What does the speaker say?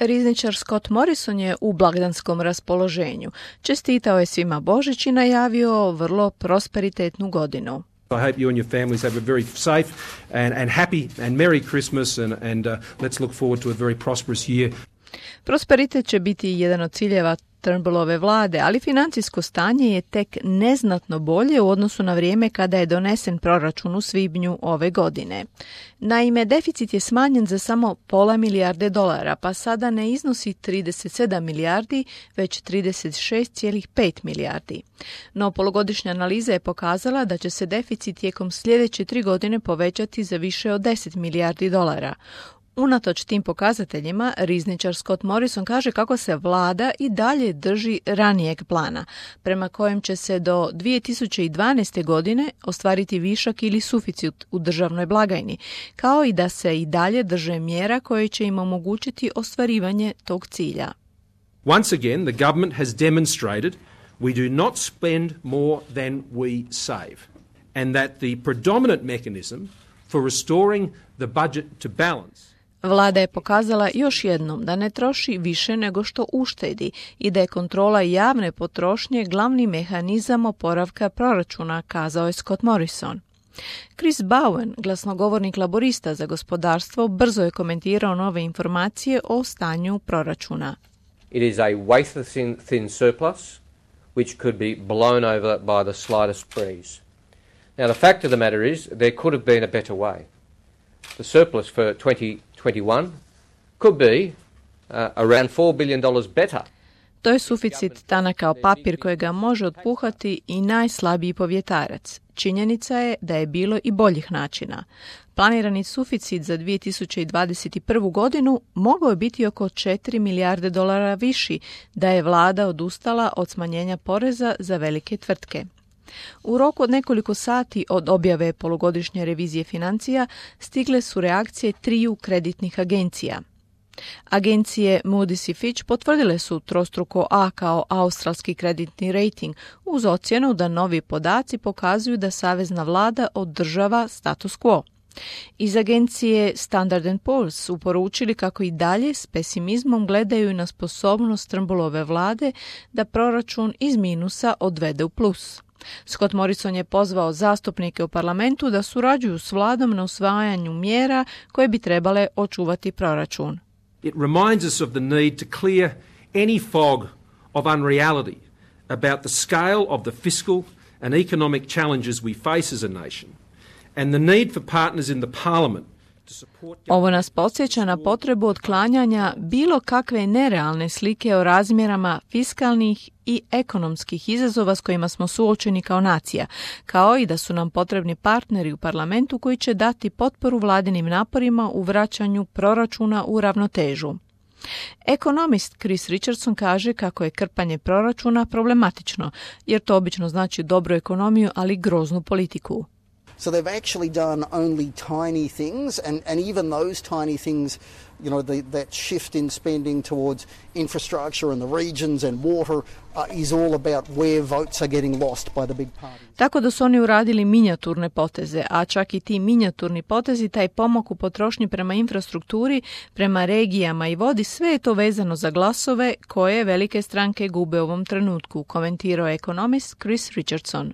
Rizničar Scott Morrison je u blagdanskom raspoloženju. Čestitao je svima Božić i najavio vrlo prosperitetnu godinu. I hope you and your families have a very safe and happy and merry Christmas and let's look forward to a very prosperous year. Prosperitet će biti jedan od ciljeva Turnbullove vlade, ali financijsko stanje je tek neznatno bolje u odnosu na vrijeme kada je donesen proračun u svibnju ove godine. Naime, deficit je smanjen za samo $0,5 milijarde, pa sada ne iznosi 37 milijardi, već 36,5 milijardi. No, polugodišnja analiza je pokazala da će se deficit tijekom sljedeće 3 godine povećati za više od $10 milijardi. Unatoč tim pokazateljima, rizničar Scott Morrison kaže kako se vlada i dalje drži ranijeg plana, prema kojem će se do 2012. godine ostvariti višak ili suficit u državnoj blagajni, kao i da se i dalje drže mjera koje će im omogućiti ostvarivanje tog cilja. Once again, the government has demonstrated we do not spend more than we save, and that the predominant mechanism for restoring the budget to balance. Vlada je pokazala još jednom da ne troši više nego što uštedi i da je kontrola javne potrošnje glavni mehanizam oporavka proračuna, kazao je Scott Morrison. Chris Bowen, glasnogovornik laborista za gospodarstvo, brzo je komentirao nove informacije o stanju proračuna. It is a wafer-thin surplus which could be blown over by the slightest breeze. Now the fact of the matter is there could have been a better way. The surplus for 2021 could be around $4 billion better. To je suficit tanak kao papir kojega može otpuhati i najslabiji povjetarac. Činjenica je da je bilo i boljih načina. Planirani suficit za 2021. godinu mogao je biti oko $4 milijarde viši da je vlada odustala od smanjenja poreza za velike tvrtke. U roku od nekoliko sati od objave polugodišnje revizije financija stigle su reakcije 3 kreditnih agencija. Agencije Moody's i Fitch potvrdile su trostruko A kao australski kreditni rating uz ocjenu da novi podaci pokazuju da savezna vlada održava status quo. Iz agencije Standard & Poor's su poručili kako i dalje s pesimizmom gledaju na sposobnost Turnbullove vlade da proračun iz minusa odvede u plus. Scott Morrison je pozvao zastupnike u parlamentu da surađuju s vladom na usvajanju mjera koje bi trebale očuvati proračun. It reminds us of the need to clear any fog of unreality about the scale of the fiscal and economic challenges we face as a nation and the need for partners in the parliament. Ovo nas podsjeća na potrebu otklanjanja bilo kakve nerealne slike o razmjerama fiskalnih i ekonomskih izazova s kojima smo suočeni kao nacija, kao i da su nam potrebni partneri u parlamentu koji će dati potporu vladinim naporima u vraćanju proračuna u ravnotežu. Ekonomist Chris Richardson kaže kako je krpanje proračuna problematično, jer to obično znači dobru ekonomiju, ali groznu politiku. So they've actually done only tiny things, and even those tiny things, you know, that shift in spending towards infrastructure and the regions and water is all about where votes are getting lost by the big parties. Tako da su oni uradili minijaturne poteze, a čak i ti minijaturni potezi, taj pomak u potrošnji prema infrastrukturi, prema regijama i vodi, sve je to vezano za glasove koje velike stranke gube u ovom trenutku, komentirao je ekonomist Chris Richardson.